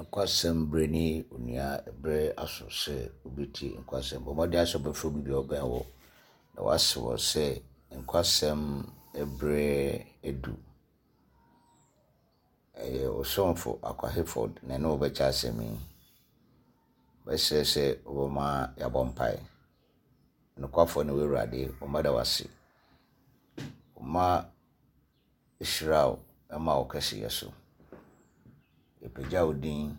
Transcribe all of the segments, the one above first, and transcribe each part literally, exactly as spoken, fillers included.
Nkwasɛm bere ni onua bere aso sɛ wobɛtie nkwasɛm. Bɔ mmɔden sɛ wobɛfrɛ obi bi a ɔbɛn wo na wase wɔ sɛ nkwasɛm bere edu. Ɛyɛ ɔsomfo Akwa Hayford na ɛne wo bɛkyɛ asɛm yi. Bɛsrɛ sɛ wobɛma yɛabɔ mpae. Nokwafoɔ ne wo Awurade, wɔma da wo ase. Wɔma hyira wo ma wo kɛseyɛ so. Yɛpagya wo din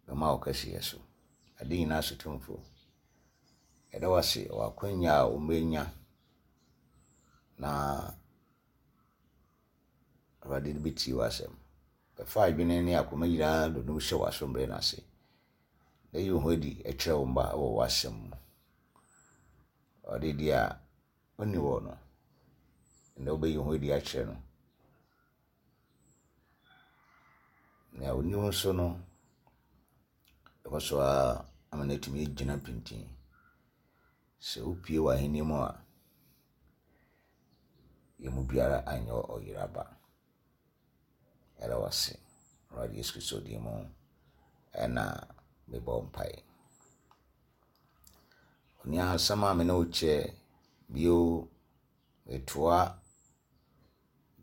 bɛma wo kɛseyɛ so. Ade nyinaa so tumfo. Yɛda wo ase wɔ akwanya a wɔmanya na Awurade de bɛtie w'asɛm. Bɛfa adwene ne akoma nyinaa dodom hyɛ w'asomdwoe no ase. Na yi wo ho adi kyerɛ wo mma wɔ w'asɛm mu. Ɔde deɛ a ɔnni hɔ no, ɛnna wobɛyi wo ho adi akyerɛ no. Nea ɔnni wo nso no, ɛkɔ so ara ama no atumi agyina pintinn. Sɛ wopue w'ahenni mu a, yɛn mu biara anyɛ ɔyeraba. Yɛda wo ase. Awurade Yesu Kristo din mu ɛna mebɔ mpae. Onua asɛm a me ne wo kyɛ bio metoa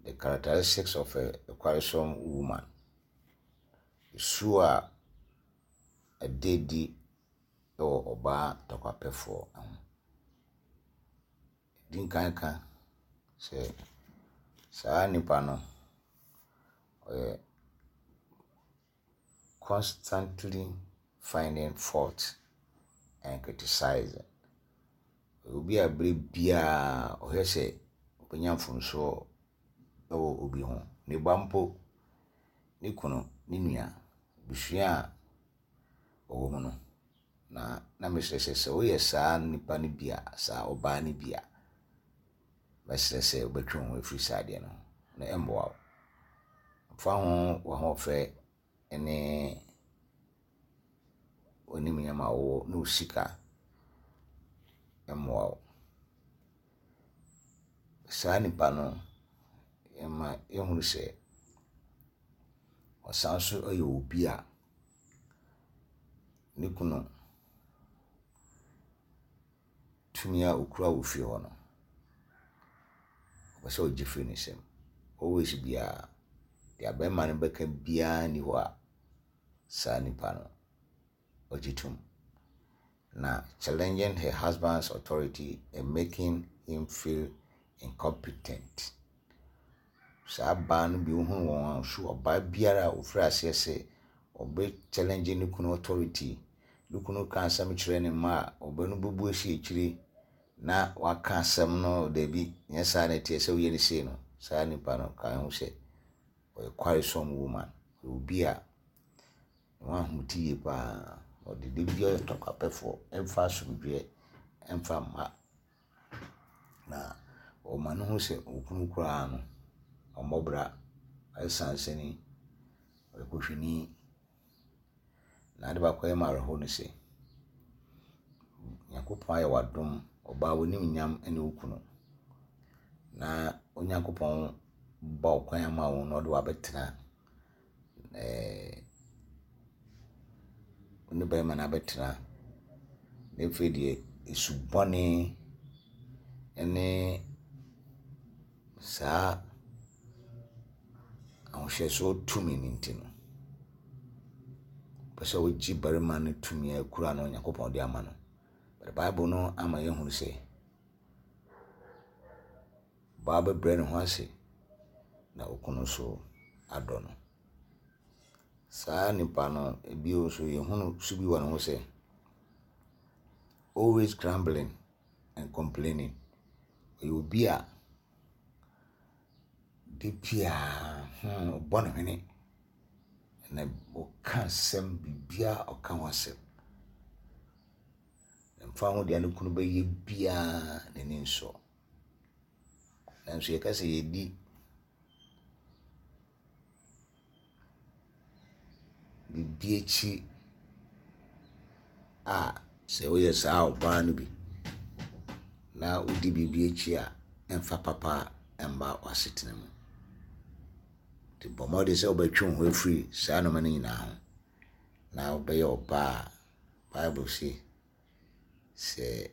the characteristics of a quarrelsome woman. Su a ɛda adi wɔ ɔbaa tɔkwapɛfoɔ ho. Di nkan ka sɛ saa nipa no ɔyɛ constantly finding fault and criticizing. Obi a bere biara ɔhwɛ sɛ ɔbɛnya mfomsoɔ wɔ obi ho. Ne ba mpo, ne kunu, ne nua, abusua a ɔwɔ mu no. Na na mesrɛ sɛ sɛ woyɛ saa nipa no bi a, saa ɔbaa no bi a, mɛsrɛ sɛ wobɛtwe wo ho afiri saa adeɛ no ho na ɛmmoa wo. Mfa ho w'ahoɔfɛ ne w'animnyam a wowɔ ne wo sika mmoa wo. Saa nipa no, yɛma yɛhunu sɛ ɔsan so yɛ obi a ne kunu tumi a okura wɔ fie hɔ no, ɔpɛ sɛ ɔgye firi ne nsam. Always biara, deɛ bɛrima no bɛka biara nni hɔ a saa nipa no ɔgye tom. Na challenging her husband's authority and making him feel incompetent. Saa baa no bi wohunu wɔn a so ɔbaa biara a ofiri aseɛ sɛ ɔbɛ challenge ne kunu authority, ne kunu ka asɛm kyerɛ ne mma a ɔbɛ no bɛbu asi akyire na waka asɛm no dabi nyɛ saa na ɛteɛ sɛ woyɛ ne sei no, saa nipa no ka ho sɛ ɔyɛ quarrelsome woman. Ɔyɛ obi a ne ho ahomete yie paa. Ɔde da biara ɔyɛ tɔkwapɛfoɔ, ɛmfa asomdwoeɛ, ɛmfa mma. Na ɔma no hu sɛ okunu koraa no, ɔmmɔ bra, ɔyɛ sansani, ɔyɛ kohwini. Na ade baako a ɛyɛ me awerɛhoɔ ne sɛ, Nyankopɔn ayɛ w'adom, ɔbaa w'animnyam ne wo kunu. Na Onyankopɔn ba wo kwan ama wo na ɔde wo abɛtena ɛɛ wo ne barima no abɛtena. Na afei deɛ, esu bɔne ne saa ahohyɛsoɔ tumi no nti no, pɛ sɛ wogye barima no tumi a ekura no Onyankopɔn de ama no. But Bible no ama yɛhunu sɛ ɔbaa bɛbrɛ ne ho ase na okunu nso adɔ no. Saa nipa no bio nso yɛhunu su bi wɔ ne ho sɛ always grumbling and complaining. Ɔyɛ obi a da biara hmm, ɔbɔ ne hwene na ɔka asɛm biribiara ɔka ho asɛm. Mfa ho deɛ ne kunu bɛyɛ biara n'ani nsɔ. Nanso yɛka sɛ yɛdi biribi akyi a sɛ woyɛ saa ɔbaa no bi na wodi biribi akyi a ɛmfa papa mma w'asetena mu. Nti bɔ mmɔden sɛ wobɛtwe wo ho afiri saa nnoɔma no nyinaa ho na wobɛyɛ ɔbaa a Bible se sɛ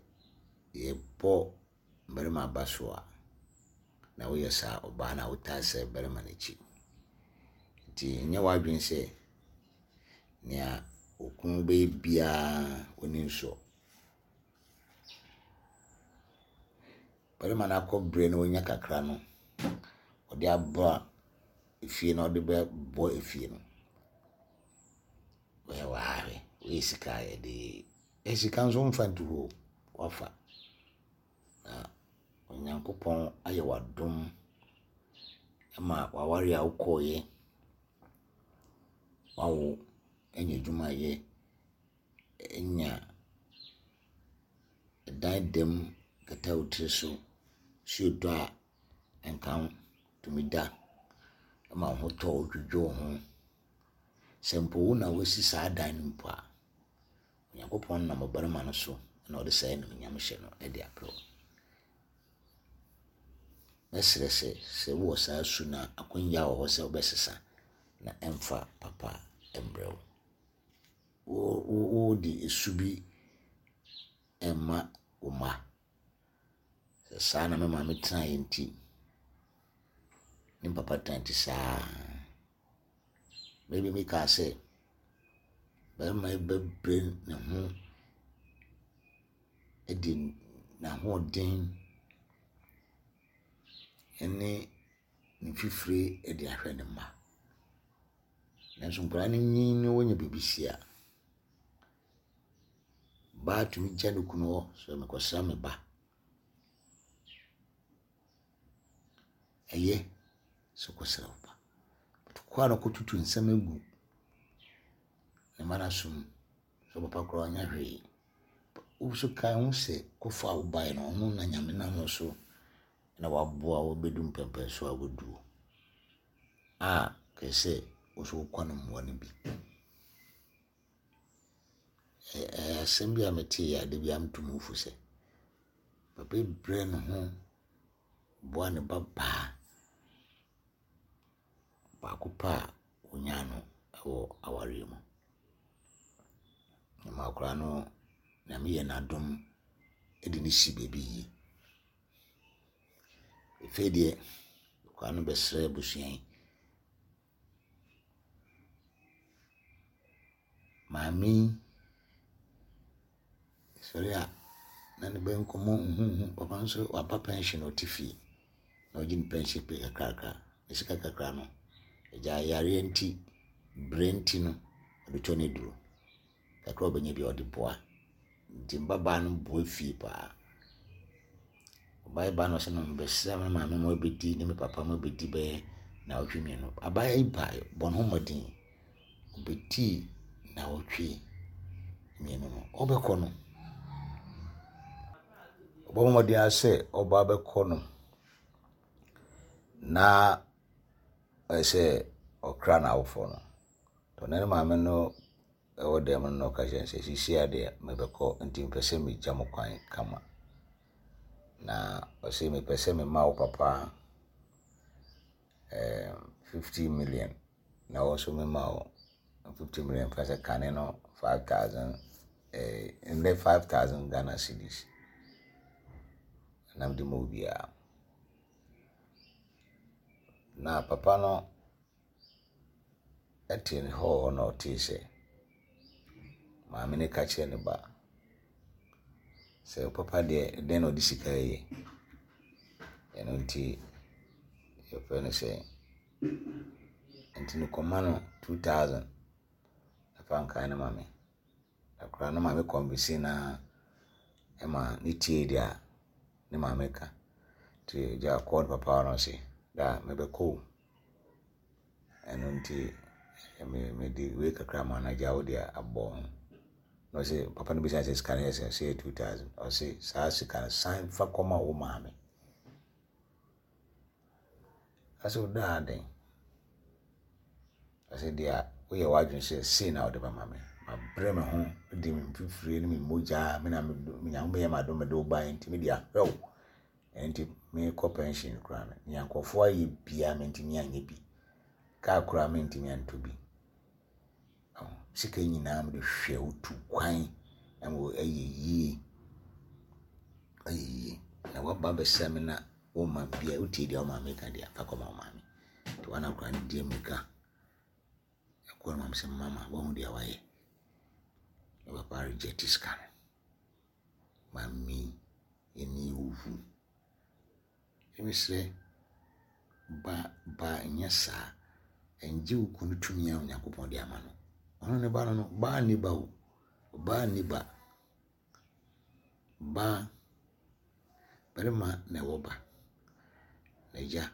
yɛbɔ mmarima aba so a, na woyɛ saa ɔbaa no a wotaa sɛ barima no akyi. Nti nyɛ w'adwene sɛ nea okunu bɛyɛ biara w'ani nsɔ. Barima no akɔ berɛ na wanya kakra no, ɔde aba efie na ɔde bɛbɔ efie no. Wɔyɛ wɔ ha hwɛ, woyɛ sika a yɛde yɛ sika nso mfa nto hɔ o, wafa. Na Onyankopɔn ayɛ w'adom ma w'aware a wokɔeɛ, wawo, anya adwuma ayɛ, anya ɛdan dam kata wo tiri so, nsuo tɔ a ɛnka wo, tumi da ma wo ho tɔ wo, dwodwo wo ho. Sɛ mpo wo na woasi saa dan no mpo a, Onyankopɔn nam ɔbarima no so na ɔde saa animuonyam hyɛ no de abrɛ wo. Mɛsrɛ sɛ, sɛ wowɔ saa su no a, akwannya wɔ hɔ sɛ wobɛsesa na ɛmfa papa mbrɛ wo. Wode su bi ɛmma wo mma. Sɛ saa na me maame tenaeɛ nti, ne papa tena nti saa. Baabi bi kaa sɛ, barima yi bɛbrɛ ne ho de n'ahoɔden ne ne mfifire de ahwɛ ne mma. Nanso nkwadaa no nyin na wɔnya biribi si a, baa tumi gya ne kunu hɔ sɛ mekɔsra me ba. Ɛyɛ sɛ wokɔsra wo ba. But kɔ a na kɔtutu nsɛm agu ne mma no asom sɛ papa koraa ɔnyɛ hwee. Wo nso kae ho sɛ kɔfa a wobaeɛ no, ɔno na Nyame nam no so na waboa wo bɛdu mpɛmpɛnsoɔ a woaduru a kɛɛ sɛ wo nso wokɔ no mmoa no bi. Ɛyɛ asɛm bi a metee a da biara meto mu fo sɛ papa yi brɛ ne ho boa ne ba baa baako pɛ a onyaa no wɔ awareɛ mu. Na akwadaa no, Nyame yɛ n'adom de no si baabi yie. Afei deɛ, akwadaa no bɛsrɛ abusua yi. Maame yi sɔre a na ne bɛ nkɔmmɔ huhuhu. Papa nso waba pension ɔte fie na ɔgye ne pension pay kakrakra. Ne sika kakra no, agya yareɛ nti, berɛ nti no, ɔde tɔ ne duro. Kakra a ɔbɛnya bi ɔde boa. Nti mbabaa no boa fie paa. Ɔbaa yi ba no ɔsɛ no mebɛsrɛ me maame ma ɔbɛdi ne me papa ma ɔbɛdi bɛyɛ nnawɔtwe mmienu. Abaayewa yi ba bɔ ne ho mmɔden. Ɔbɛdii nnawɔtwe mmienu no, ɔbɛkɔ no. Ɔbɔ mmɔden ara sɛ ɔba bɛkɔ no na ɔyɛ sɛ ɔkra n'awofoɔ no. Ɔne ne maame no ɛwɔ dan mu no na ɔka kyerɛ no sɛ seesei ara deɛ mebɛkɔ nti mepɛ sɛ megya mo kwan kama. Na ɔse mepɛ sɛ mema wo papa eh, fifty million na wo nso mema wo fifty million fa sɛ kane no five thousand eh, nnɛ five thousand Ghana cedis na mede ma obiara. Na papa no ɛte ne hɔ hɔ na ɔtee sɛ maame no ka kyerɛ ne ba sɛ papa deɛ dɛn na ɔde sika yɛ. Ɛno nti yɛfrɛ no sɛ nti no kɔma no two thousand na fa nkae no ma me. Na koraa no maame convince na ɛma ne tie deɛ a ne maame ka. Nti agya kɔɔ ne papa hɔ na ɔse da mebɛkɔ o. Ɛno nti mede wei kakra ma no agya wo deɛ abɔ ho. Na ɔse papa no bisa sɛ sika no yɛ sɛ sɛ yɛ two thousand. Ɔse saa sika no san fa kɔma wo maame. Ɔse wo daa den. Ɔse deɛ woyɛ w'adwene sɛ sei na wode bɛma me. Mabrɛ me ho de me mfifire ne me mogya me na me Nyame yɛ m'adom mede wo baeɛ nti mede ahwɛ wo. Ɛno nti mekɔ pension koraa no, nea nkurɔfoɔ ayɛ biara mentumi anyɛ bi. Kaa koraa mentumi antɔ bi. Sika nyinaa mede hwɛ wo tu kwan na ɛyɛ yie. Ɛyɛ yie. Na woaba abɛsra me na woma bia wotie deɛ wo maame ka deɛ fa kɔma wo maame. Nti wana koraa no di mmirika. Ɛkɔ no maame sɛ mama woahu deɛ wayɛ. Na papa reject sika no. Maame yɛni wo hu. Mesrɛ ba ba nyɛ saa. Ɛngye wo kunu tumi a Onyankopɔn de ama no. Ɔno ne ba no no, baa nni ba o. Ɔbaa nni ba. Baa, barima na ɛwɔ ba. Na agya,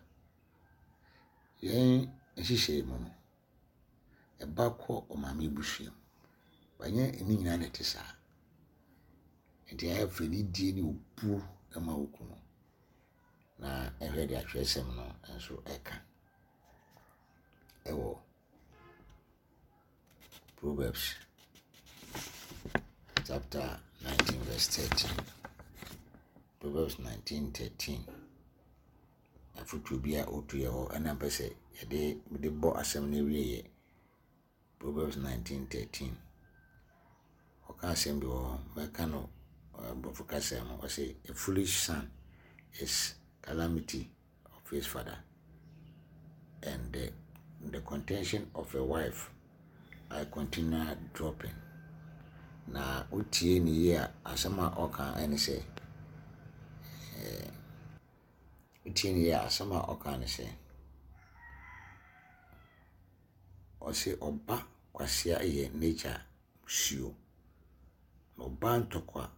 yɛn nhyehyɛe mu no, ɛba kɔ ɔmaame abusua mu. Banyɛ ne nyinaa na ɛte saa. Nti ayɛ fɛ nidie ne obuo ma wo kunu. Na ɛhwɛ deɛ atwerɛsɛm no nso ɛka. Ɛwɔ Proverbs chapter nineteen verse thirteen. Proverbs nineteen thirteen. Afotuo bi a ɔtu yɛ hɔ ɛna mpɛ sɛ yɛde mede bɔ asɛm no awieeɛ. Proverbs nineteen thirteen. Ɔka asɛm bi wɔ hɔ, mɛka no aborɔfo kasa mu. Ɔse, a foolish son is calamity of his father, and the, the contention of a wife are continual dropping. Na wotie ne yie a, asɛm a ɔka ɛne sɛ, ɛɛ, wotie ne yie a, asɛm a ɔka ne sɛ, ɔse ɔba kwasea yɛ n'agya musuo, na ɔba ntɔkwa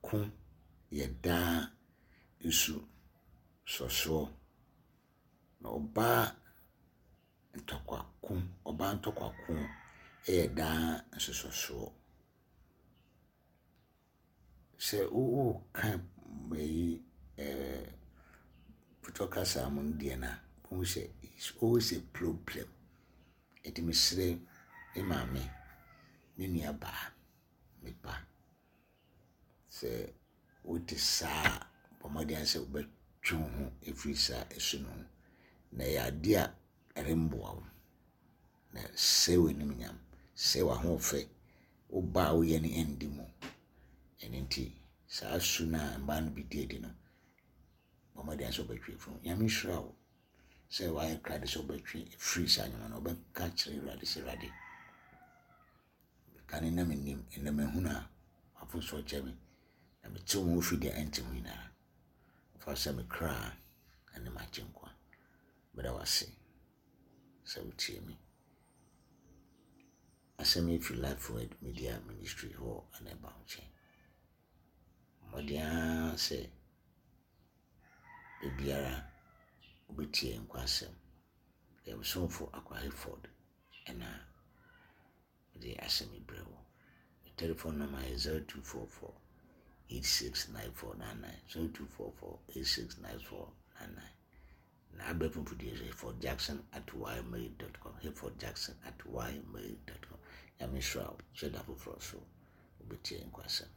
ko yɛ daa nsu sɔsoɔ. Na ɔbaa ntɔkwa ko, ɔbaa ntɔkwa ko yɛ daa nsosɔsoɔ. Sɛ woka yi ɛɛ putɔ kasa mu no deɛ no a, wohu sɛ it's always a problem. Nti mesrɛ me maame, me nua baa, me ba, sɛ wote saa a, bɔ mmɔden sɛ wobɛtwe wo ho ɛfiri saa ɛsu no ho. Na ɛyɛ adeɛ a ɛremboa wo. Na sɛe w'animnyam, sɛe w'ahoɔfɛ, wo ba a woyɛ no ɛndi mu. Ɛno nti saa su no a mmaa no bi di adi no, bɔ mmɔden sɛ wobɛtwe afiri ho. Nyame nhyira wo sɛ woayɛ krado sɛ wobɛtwe afiri saa nneɛma no. Wobɛka kyerɛ Awurade sɛ, Awurade, kane na mennim, ɛnnɛ mahunu a w'afosoɔ kyɛ me, na metew me ho firi deɛ ɛnte ho nyinaa. Fa sɛ me kra ne m'agyenkwa. Meda wo ase sɛ wotie me. Asɛm yi firi Life Word Media Ministry hɔ ana ɛba wo nkyɛn. Mmɔden ara sɛ baabiara wobɛtie nkwa asɛm. Yɛn somfo Akwa Hayford ɛna mede asɛm yi brɛ wo. Me telephone number yɛ zero two four four eight six nine four nine nine zero two four four eight six nine four nine nine. Na abɛɛfo mfidie so Hayford Jackson at ymail dot com, Hayford Jackson at ymail dot com. Nyame nhyira wo. Hyɛ da foforɔ so wobɛtie nkwa asɛm.